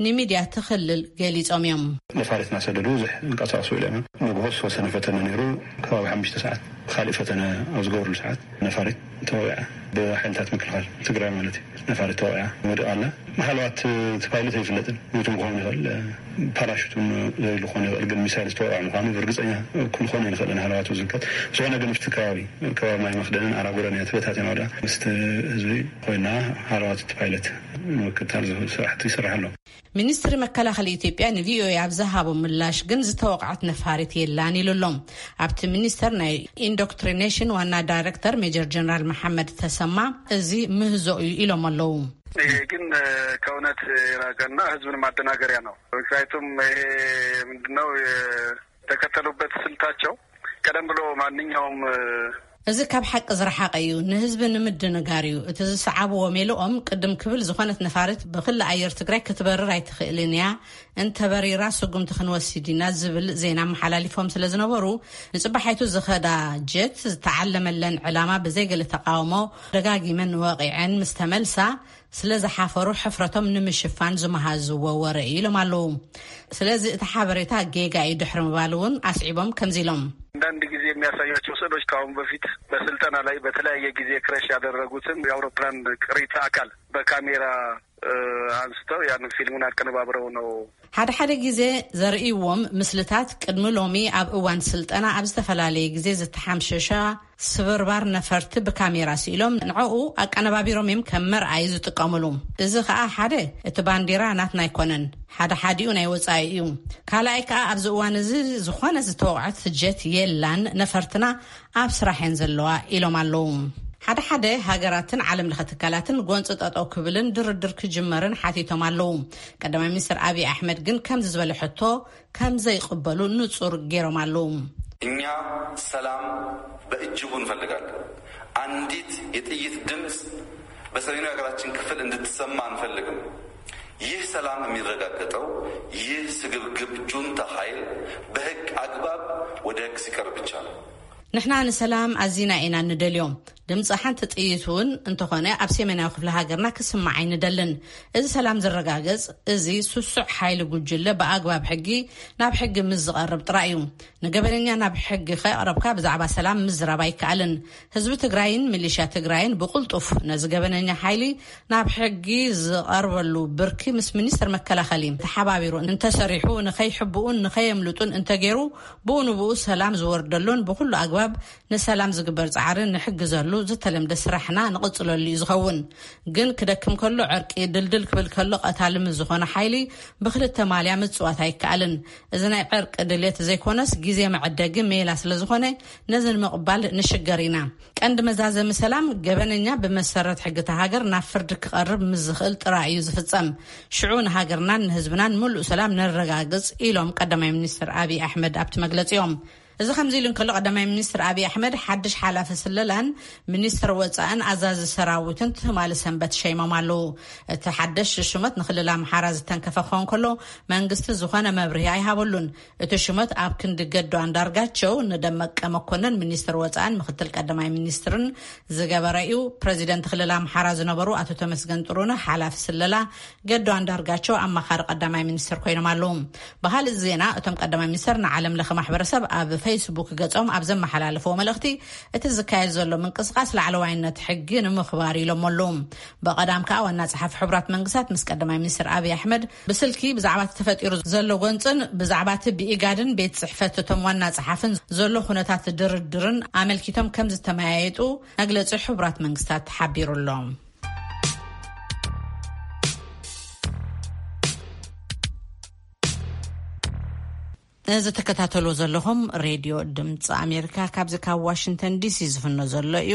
ንሚድያ እቲ ክልል ገሊጾም እዮም። ነፋሪት እናሰደዱ ብዙሕ ይንቀሳቐሱ ውዒሎም እዮም። ንግሆ ዝተወሰነ ፈተነ ነይሩ፣ ከባቢ ሓሙሽተ ሰዓት ካልእ ፈተነ ኣብ ዝገብርሉ ሰዓት ነፋሪት ተወቒዓ፣ ብሓይልታት ምክልኻል ትግራይ ማለት እዩ። ነፋሪት ተወቒዓ ወዲቓ ኣላ። ምናልባት እቲ ፓይለት ኣይፍለጥን፣ ሞይቱ ክኸውን ይኽእል፣ ፓራሹት እውን ዘይሉ ክኾን ይኽእል፣ ግን ሚሳይል ዝተወቕዐ ምዃኑ ብርግፀኛ ክንኾን ኣይንኽእልን፣ ሃለዋቱ ዝምልከት። ዝኾነ ግን ምስቲ ከባቢ፣ ከባቢ ማይ መኽደንን ኣራጉረን እያ ተበታቲና ወዲቓ። ምስቲ ህዝቢ ኮይና ሃለዋት እቲ ፓይለት ንምክትታል ዝኽእል ስራሕቲ ይስራሕ ኣሎ። ሚኒስትሪ መከላኸሊ ኢትዮጵያ ንቪኦኤ ኣብ ዝሃቦ ምላሽ ግን ዝተወቕዐት ነፋሪት የላን ኢሉ ኣሎ። ኣብቲ ሚኒስተር ናይ ኢንዶክትሪኔሽን ዋና ዳይሬክተር ሜጀር ጀነራል መሓመድ ተሰማ፣ እዚ ምህዞ እዩ ኢሎም ኣለዉ። ይሄ ግን ከእውነት የራቀና ህዝብን ማደናገሪያ ነው። ምክንያቱም ይሄ ምንድነው የተከተሉበት ስልታቸው? ቀደም ብሎ ማንኛውም እዚ ካብ ሓቂ ዝረሓቐ እዩ። ንህዝቢ ንምድንጋር እዩ። እቲ ዝሰዓብዎ ሜልኦም ቅድም ክብል ዝኾነት ነፋሪት ብክሊ ኣየር ትግራይ ክትበርር ኣይትኽእልን እያ፣ እንተበሪራ ስጉምቲ ክንወስድ ኢና ዝብል ዜና ኣመሓላሊፎም ስለ ዝነበሩ፣ ንፅባሓይቱ ዝኸዳ ጀት ዝተዓለመለን ዕላማ ብዘይገለ ተቃውሞ ደጋጊመን ወቂዐን ምስ ተመልሳ፣ ስለ ዝሓፈሩ ሕፍረቶም ንምሽፋን ዝመሃዝዎ ወረ እዩ ኢሎም ኣለዉ። ስለዚ እቲ ሓበሬታ ጌጋ እዩ ድሕሪ ምባል እውን ኣስዒቦም ከምዚ ኢሎም። አንዳንድ ጊዜ የሚያሳያቸው ስዕሎች ከአሁን በፊት በስልጠና ላይ በተለያየ ጊዜ ክረሽ ያደረጉትን የአውሮፕላን ቅሪተ አካል በካሜራ አንስተው ያንን ፊልሙን አቀነባብረው ነው። ሓደ ሓደ ግዜ ዘርእይዎም ምስልታት ቅድሚ ሎሚ ኣብ እዋን ስልጠና ኣብ ዝተፈላለየ ግዜ ዝተሓምሸሻ ስብርባር ነፈርቲ ብካሜራ ስኢሎም ንዕኡ ኣቀነባቢሮም እዮም ከም መርኣይ ዝጥቀምሉ። እዚ ከዓ ሓደ እቲ ባንዲራ ናትና ኣይኮነን፣ ሓደ ሓዲኡ ናይ ወፃኢ እዩ። ካልኣይ ከዓ ኣብዚ እዋን እዚ ዝኾነ ዝተወቕዐት ጀት የላን፣ ነፈርትና ኣብ ስራሕ እየን ዘለዋ ኢሎም ኣለዉ። ሓደ ሓደ ሃገራትን ዓለም ለኸ ትካላትን ጎንፂ ጠጠው ክብልን ድርድር ክጅመርን ሓቲቶም ኣለዉ። ቀዳማይ ሚኒስትር ኣብይ ኣሕመድ ግን ከምዚ ዝበለ ሕቶ ከም ዘይቕበሉ ንጹር ገይሮም ኣለዉ። እኛ ሰላም በእጅጉ እንፈልጋለን። አንዲት የጥይት ድምፅ በሰሜኑ የሀገራችን ክፍል እንድትሰማ አንፈልግም። ይህ ሰላም የሚረጋገጠው ይህ ስግብግብ ጁንታ ኃይል በህግ አግባብ ወደ ህግ ሲቀርብ ብቻ ነው። ንሕና ንሰላም ኣዚና ኢና እንደልዮም። ድምፂ ሓንቲ ጥይት እውን እንተኾነ ኣብ ሰሜናዊ ክፍሊ ሃገርና ክስማዕ ኣይንደልን። እዚ ሰላም ዝረጋገፅ እዚ ስሱዕ ሓይሊ ጉጅለ ብኣግባብ ሕጊ ናብ ሕጊ ምስ ዝቐርብ ጥራይ እዩ። ንገበነኛ ናብ ሕጊ ከቕረብካ ብዛዕባ ሰላም ምዝራብ ኣይከኣልን። ህዝቢ ትግራይን ሚሊሻ ትግራይን ብቕልጡፍ ነዚ ገበነኛ ሓይሊ ናብ ሕጊ ዝቐርበሉ ብርኪ ምስ ሚኒስትር መከላኸሊ ተሓባቢሩ እንተሰሪሑ ንኸይሕብኡን ንኸየምልጡን እንተገይሩ ብኡ ንብኡ ሰላም ዝወርደሉን ብኩሉ ኣግባብ ንሰላም ዝግበር ፃዕሪ ንሕግዘሉ ዝተለምደ ስራሕና ንቕፅለሉ እዩ ዝኸውን። ግን ክደክም ከሎ ዕርቂ፣ ድልድል ክብል ከሎ ቀታሊ ምስ ዝኾነ ሓይሊ ብክልተ ማልያ ምፅዋት ኣይከኣልን። እዚ ናይ ዕርቂ ድልየት ዘይኮነስ ግዜ መዐደጊ ሜላ ስለ ዝኾነ ነዚ ንምቕባል ንሽገር ኢና። ቀንዲ መዛዘሚ ሰላም ገበነኛ ብመሰረት ሕጊ እታ ሃገር ናብ ፍርዲ ክቐርብ ምስ ዝኽእል ጥራይ እዩ ዝፍፀም። ሽዑ ንሃገርናን ንህዝብናን ምሉእ ሰላም ነረጋግፅ ኢሎም ቀዳማይ ሚኒስትር ኣብይ ኣሕመድ ኣብቲ መግለፂኦም። እዚ ከምዚ ኢሉ እንከሎ ቀዳማይ ሚኒስትር ኣብይ ኣሕመድ ሓድሽ ሓላፊ ስለላን ሚኒስትር ወፃእን ኣዛዚ ሰራዊትን ትማሊ ሰንበት ሸይሞም ኣለዉ። እቲ ሓደሽ ሽመት ንክልል ኣምሓራ ዝተንከፈ ክኸውን ከሎ መንግስቲ ዝኾነ መብርሂ ኣይሃበሉን። እቲ ሽመት ኣብ ክንዲ ገዱ ኣንዳርጋቸው ንደመቀ መኮንን ሚኒስትር ወፃእን ምክትል ቀዳማይ ሚኒስትርን ዝገበረ እዩ። ፕረዚደንት ክልል ኣምሓራ ዝነበሩ ኣቶ ተመስገን ጥሩነህ ሓላፊ ስለላ፣ ገዱ ኣንዳርጋቸው ኣማኻሪ ቀዳማይ ሚኒስትር ኮይኖም ኣለዉ። ብኻልእ ዜና እቶም ቀዳማይ ሚኒስትር ንዓለም ለኸ ማሕበረሰብ ኣብ ፌስቡክ ገጾም ኣብ ዘመሓላለፍዎ መልእኽቲ እቲ ዝካየድ ዘሎ ምንቅስቃስ ላዕለዋይነት ሕጊ ንምኽባር ኢሎም ኣለዉ። ብቐዳም ከዓ ዋና ጸሓፊ ሕቡራት መንግስታት ምስ ቀዳማይ ሚኒስትር ኣብይ ኣሕመድ ብስልኪ ብዛዕባ እቲ ተፈጢሩ ዘሎ ጎንፅን ብዛዕባ እቲ ብኢጋድን ቤት ጽሕፈት እቶም ዋና ጸሓፍን ዘሎ ኩነታት ድርድርን ኣመልኪቶም ከም ዝተመያየጡ መግለጺ ሕቡራት መንግስታት ሓቢሩ ኣሎ። እዚ ትከታተሉ ዘለኹም ሬድዮ ድምፂ ኣሜሪካ ካብዚ ካብ ዋሽንግተን ዲሲ ዝፍኖ ዘሎ እዩ።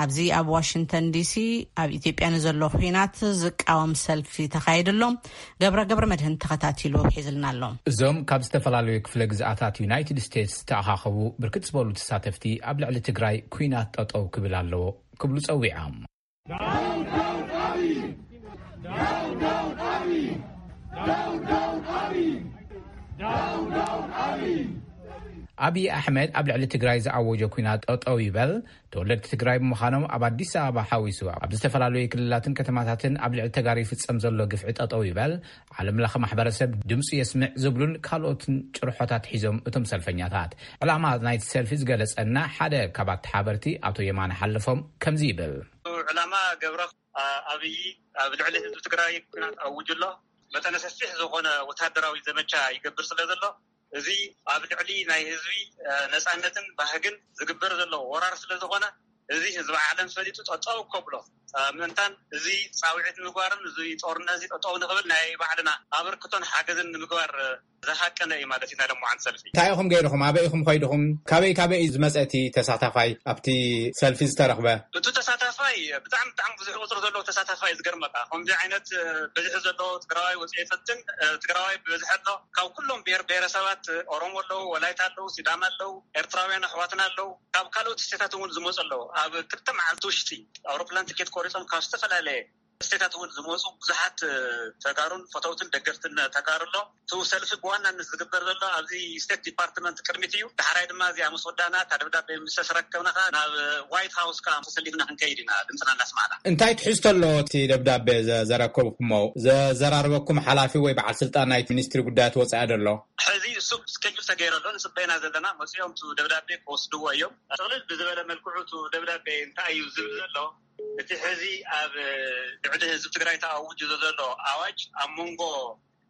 ኣብዚ ኣብ ዋሽንግተን ዲሲ ኣብ ኢትዮጵያ ንዘሎ ኩናት ዝቃወም ሰልፊ ተኻይዱ ኣሎ። ገብረ ገብረ መድህን ተኸታቲሉ ሒዝልና ኣሎ። እዞም ካብ ዝተፈላለዩ ክፍለ ግዝኣታት ዩናይትድ ስቴትስ ዝተኣኻኸቡ ብርክት ዝበሉ ተሳተፍቲ ኣብ ልዕሊ ትግራይ ኩናት ጠጠው ክብል ኣለዎ ክብሉ ጸዊዖም። ኣብይ ኣሕመድ ኣብ ልዕሊ ትግራይ ዝኣወጆ ኩናት ጠጠው ይበል፣ ተወለድቲ ትግራይ ብምዃኖም ኣብ ኣዲስ ኣበባ ሓዊሱ ኣብ ዝተፈላለዩ ክልላትን ከተማታትን ኣብ ልዕሊ ተጋሩ ይፍጸም ዘሎ ግፍዒ ጠጠው ይበል፣ ዓለም ለኸ ማሕበረሰብ ድምፁ የስምዕ ዝብሉን ካልኦትን ጭርሖታት ሒዞም እቶም ሰልፈኛታት። ዕላማ ናይቲ ሰልፊ ዝገለጸና ሓደ ካብ ኣተሓበርቲ ኣቶ የማነ ሓለፎም ከምዚ ይብል። ዕላማ ገብረ ኣብይ ኣብ ልዕሊ ህዝቢ ትግራይ ኩናት ኣውጁ ኣሎ። መጠነ ሰፊሕ ዝኾነ ወታደራዊ ዘመቻ ይገብር ስለ ዘሎ፣ እዚ ኣብ ልዕሊ ናይ ህዝቢ ነፃነትን ባህግን ዝግበር ዘሎ ወራር ስለ ዝኾነ፣ እዚ ህዝቢ ዓለም ፈሊጡ ጠጠው ከብሎ ምእንታን እዚ ፃውዒት ንምግባርን እዚ ጦርነት እዚ ጠጠው ንኽብል ናይ ባዕልና ኣበርክቶን ሓገዝን ንምግባር ዝሃቀነ እዩ ማለት እዩ ናይ ሎማዓንቲ ሰልፊ። እንታይ ኢኹም ገይርኹም? ኣበይ ኢኹም ኸይድኹም? ካበይ ካበይ እዩ ዝመጸ እቲ ተሳታፋይ ኣብቲ ሰልፊ ዝተረኽበ? እቲ ተሳታፋይ ብጣዕሚ፣ ብጣዕሚ ብዙሕ ቁፅሪ ዘለዎ ተሳታፋይ እዩ። ዝገርመካ፣ ከምዚ ዓይነት በዝሒ ዘለዎ ትግራዋይ ወፅኢ ይፈትን። ትግራዋይ ብበዝሒ ኣሎ። ካብ ኩሎም ብሔር ብሔረሰባት፣ ኦሮሞ ኣለዉ፣ ወላይታ ኣለዉ፣ ሲዳማ ኣለዉ፣ ኤርትራውያን ኣሕዋትና ኣለዉ፣ ካብ ካልኦት ስቴታት እውን ዝመፁ ኣለዉ። ኣብ ክልተ መዓልቲ ውሽጢ ኣውሮፕላን ትኬት ቆሪፆም ካብ ዝተፈላለየ ስቴታት እውን ዝመፁ ብዙሓት ተጋሩን ፈተውትን ደገፍትን ተጋሩ ኣሎ። እቲ ሰልፊ ብዋናነት ዝግበር ዘሎ ኣብዚ ስቴት ዲፓርትመንት ቅድሚት እዩ። ዳሕራይ ድማ እዚኣ ምስ ወዳና፣ እታ ደብዳቤ ምስ ተሰረከብና ከኣ ናብ ዋይት ሃውስ ከኣ ተሰሊፍና ክንከይድ ኢና፣ ድምፅና እናስማዕና። እንታይ ትሕዝቶ ኣለዎ እቲ ደብዳቤ ዘ-፣ ዘረከብኩሞ? ዘዘራርበኩም ሓላፊ ወይ በዓል ስልጣን ናይቲ ሚኒስትሪ ጉዳያት ወፃኢ ዶ ኣሎ? ሕዚ እሱ ስኬጁል ተገይሩ ኣሎ፣ ንፅበየና ዘለና። መፅኦም እቲ ደብዳቤ ክወስድዎ እዮም። ጥቕልል ብዝበለ መልክዑ እቲ ደብዳቤ እንታይ እዩ ዝብል ዘሎ? እቲ ሕዚ ኣብ ልዕሊ ህዝቢ ትግራይ ተኣውጁ ዘሎ ኣዋጅ ኣብ መንጎ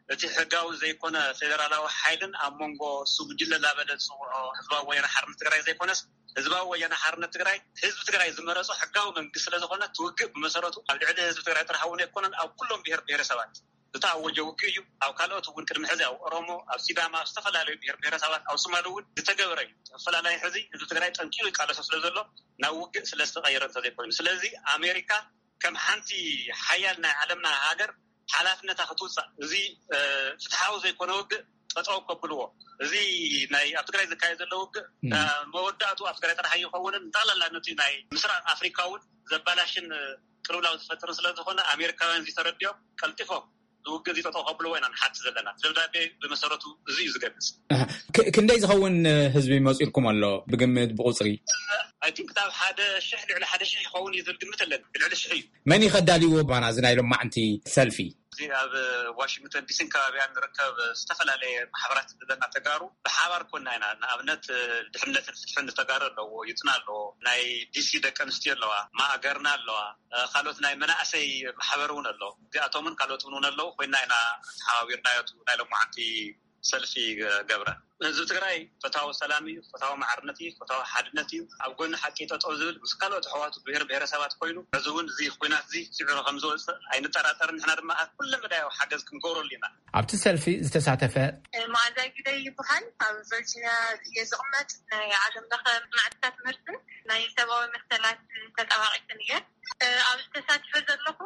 እቲ ሕጋዊ ዘይኮነ ፌደራላዊ ሓይልን ኣብ መንጎ እሱ ጉጅለ ላበለ ዝፅውዖ ህዝባዊ ወያነ ሓርነት ትግራይ ዘይኮነስ፣ ህዝባዊ ወያነ ሓርነት ትግራይ ህዝቢ ትግራይ ዝመረፆ ሕጋዊ መንግስቲ ስለ ዝኾነ፣ እቲ ውግእ ብመሰረቱ ኣብ ልዕሊ ህዝቢ ትግራይ ጥራሕ እውን ኣይኮነን፣ ኣብ ኩሎም ብሔር ብሔረሰባት ዝተኣወጀ ውግእ እዩ። ኣብ ካልኦት እውን ቅድሚ ሕዚ ኣብ ኦሮሞ፣ ኣብ ሲዳማ፣ ኣብ ዝተፈላለዩ ብሔር ብሔረሰባት፣ ኣብ ሶማሊ እውን ዝተገበረ እዩ። ተፈላላይ ሕዚ ህዝቢ ትግራይ ጠንኪሩ ይቃለሶ ስለ ዘሎ፣ ናብ ውግእ ስለ ዝተቐየረ እንተዘይኮይኑ። ስለዚ ኣሜሪካ ከም ሓንቲ ሓያል ናይ ዓለምና ሃገር ሓላፍነታ ክትውፃእ፣ እዚ፣ እ፣ ፍትሓዊ ዘይኮነ ውግእ ጠጠው ከብልዎ። እዚ ናይ ኣብ ትግራይ ዝካየድ ዘሎ ውግእ፣ እ፣ መወዳእቱ ኣብ ትግራይ ጥራሕ ኣይኸውንን፣ ጠቕላላ ነቲ ናይ ምስራቅ ኣፍሪካ እውን ዘባላሽን፣ እ፣ ቅልውላው ዝፈጥርን ስለ ዝኾነ፣ ኣሜሪካውያን እዚ ተረዲኦም ቀልጢፎም ዝውግእ እዚ ጠጠው ከብልዎ ኢና ንሓት ዘለና። ደብዳቤ ብመሰረቱ እዚ እዩ ዝገልጽ። ኣህ፣ ክ-፣ ክንደይ ዝኸውን ህዝቢ መጺእልኩም ኣሎ ብግምት፣ ብቁጽሪ? ኣይ ቲንክ ካብ ሓደ ሽሕ፣ ልዕሊ ሓደ ሽሕ ይኸውን እዩ ዝብል ግምት ኣለኒ። ልዕሊ ሽሕ እዩ። መን እዩ ከዳልይዎ ባና እዚ ናይ ሎማዕንቲ ሰልፊ? እዚ ኣብ ዋሽንግተን ዲሲን ከባቢያን ንርከብ ዝተፈላለየ ማሕበራት ዘለና ተጋሩ ብሓባር ኮና ኢና። ንኣብነት ድሕነትን ፍትሕን ተጋሩ ኣለዎ፣ ዩትና ኣለዎ፣ ናይ ዲሲ ደቂ ኣንስትዮ ኣለዋ፣ ማእገርና ኣለዋ፣ ካልኦት ናይ መናእሰይ ማሕበር እውን ኣሎ። እዚኣቶምን ካልኦት እውን ኣለዉ ኮይና ኢና ተሓባቢርናዮ እቲ ናይ ሎማዓንቲ ሰልፊ ገብረ። ህዝቢ ትግራይ ፈታዊ ሰላም እዩ፣ ፈታዊ ማዕርነት እዩ፣ ፈታዊ ሓድነት እዩ። ኣብ ጎኒ ሓቂ ጠጠው ዝብል ምስ ካልኦት ኣሕዋቱ ብሔር ብሔረሰባት ኮይኑ፣ ሕዚ እውን እዚ ኩናት እዚ ስዒሩ ከም ዝወፅእ ኣይንጠራጠርን። ንሕና ድማ ኣብ ኩለ መዳያዊ ሓገዝ ክንገብረሉ ኢና። ኣብቲ ሰልፊ ዝተሳተፈ መዓዛ ግደይ ይበሃል። ኣብ ቨርጂኒያ እየ ዝቕመጥ። ናይ ዓለም ለኸ ማዕድታት ምህርትን ናይ ሰብኣዊ መሰላት ተጣባቂትን እየ። ኣብዚ ተሳቲፈ ዘለኹ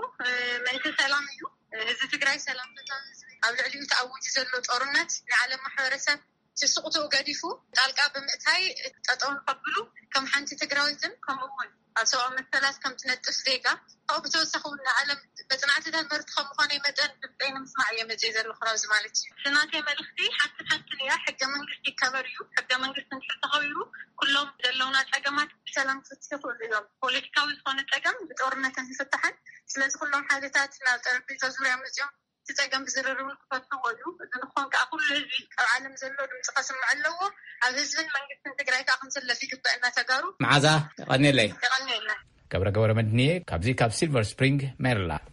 ምእንቲ ሰላም እዩ። ህዝቢ ትግራይ ሰላም ፈታዊ ህዝቢ፣ ኣብ ልዕሊኡ ተኣዊጁ ዘሎ ጦርነት ንዓለም ማሕበረሰብ ስስቕትኡ ገዲፉ ጣልቃ ብምእታይ ጠጠው ንኸብሉ ከም ሓንቲ ትግራዊትን ከምኡ እውን ኣብ ሰብኣዊ መሰላት ከም ትነጥፍ ዜጋ፣ ካብኡ ብተወሳኺ እውን ንዓለም መጽናዕትታት ምህርቲ ከም ምዃነይ መጠን ድምፀይ ንምስማዕ እየ መፅየ ዘለኹ ናብዚ ማለት እዩ። እቲ ናተይ መልእኽቲ ሓንቲ ሓንትን እያ፣ ሕገ መንግስቲ ይከበር እዩ። ሕገ መንግስቲ እንድሕር ተኸቢሩ ኩሎም ዘለውና ፀገማት ብሰላም ክፍትሑ ይኽእሉ እዮም። ፖለቲካዊ ዝኾነ ፀገም ብጦርነትን ይፍታሕን። ስለዚ ኩሎም ሓይልታት ናብ ጠረጴዛ ዙርያ መፅዮም እቲ ፀገም ብዝርርብ ክፈትዎ እዩ። እዚ ንክኾን ከዓ ኩሉ ህዝቢ ኣብ ዓለም ዘሎ ድምፂ ከስምዕ ኣለዎ። ኣብ ህዝብን መንግስትን ትግራይ ከዓ ክንስለፍ ይግበአና ተጋሩ። መዓዛ፣ የቐንየለይ። የቐንየልና። ገብረ ገብረ መድንየ ካብዚ ካብ ሲልቨር ስፕሪንግ ሜሪላንድ።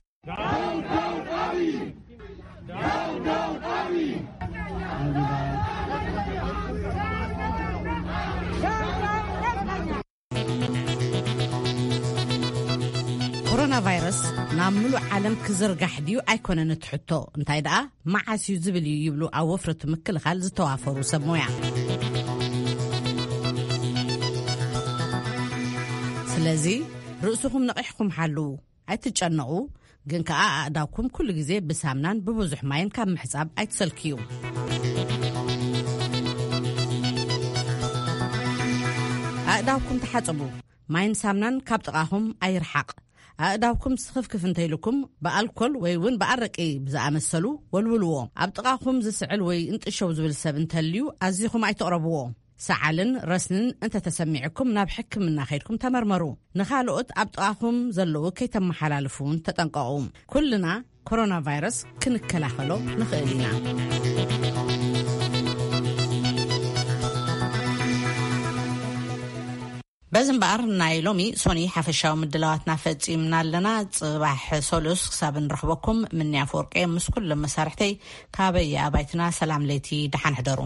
ኮሮና ቫይረስ ናብ ምሉእ ዓለም ክዝርጋሕ ድዩ ኣይኮነን እቲ ሕቶ፣ እንታይ ደኣ መዓስ እዩ ዝብል እዩ ይብሉ ኣብ ወፍሪ እቲ ምክልኻል ዝተዋፈሩ ሰብ ሞያ። ስለዚ ርእስኹም ነቒሕኩም ሓልዉ፣ ኣይትጨነቑ፣ ግን ከኣ ኣእዳውኩም ኩሉ ግዜ ብሳምናን ብብዙሕ ማይን ካብ ምሕጻብ ኣይትሰልክዩ። ኣእዳውኩም ተሓጸቡ፣ ማይን ሳምናን ካብ ጥቓኹም ኣይርሓቕ። ኣእዳውኩም ስኽፍክፍ እንተኢልኩም ብኣልኮል ወይ እውን ብኣረቂ ብዝኣመሰሉ ወልውልዎ። ኣብ ጥቓኹም ዝስዕል ወይ እንጥሸው ዝብል ሰብ እንተልዩ ኣዚኹም ኣይትቕረብዎ። ሰዓልን ረስንን እንተተሰሚዕኩም ናብ ሕክምና ከይድኩም ተመርመሩ። ንኻልኦት ኣብ ጥቓኹም ዘለዉ ከይተመሓላልፉ እውን ተጠንቀቑ። ኩልና ኮሮና ቫይረስ ክንከላኸሎ ንኽእል ኢና። በዚ እምበኣር ናይ ሎሚ ሶኒ ሓፈሻዊ ምድላዋትና ፈጺምና ኣለና። ጽባሕ ሶሉስ ክሳብ እንረኽበኩም ምንያ ኣፈወርቂ ምስ ኩሎም መሳርሕተይ ካበይ ኣባይትና ሰላም ለይቲ ደሓን ሕደሩ።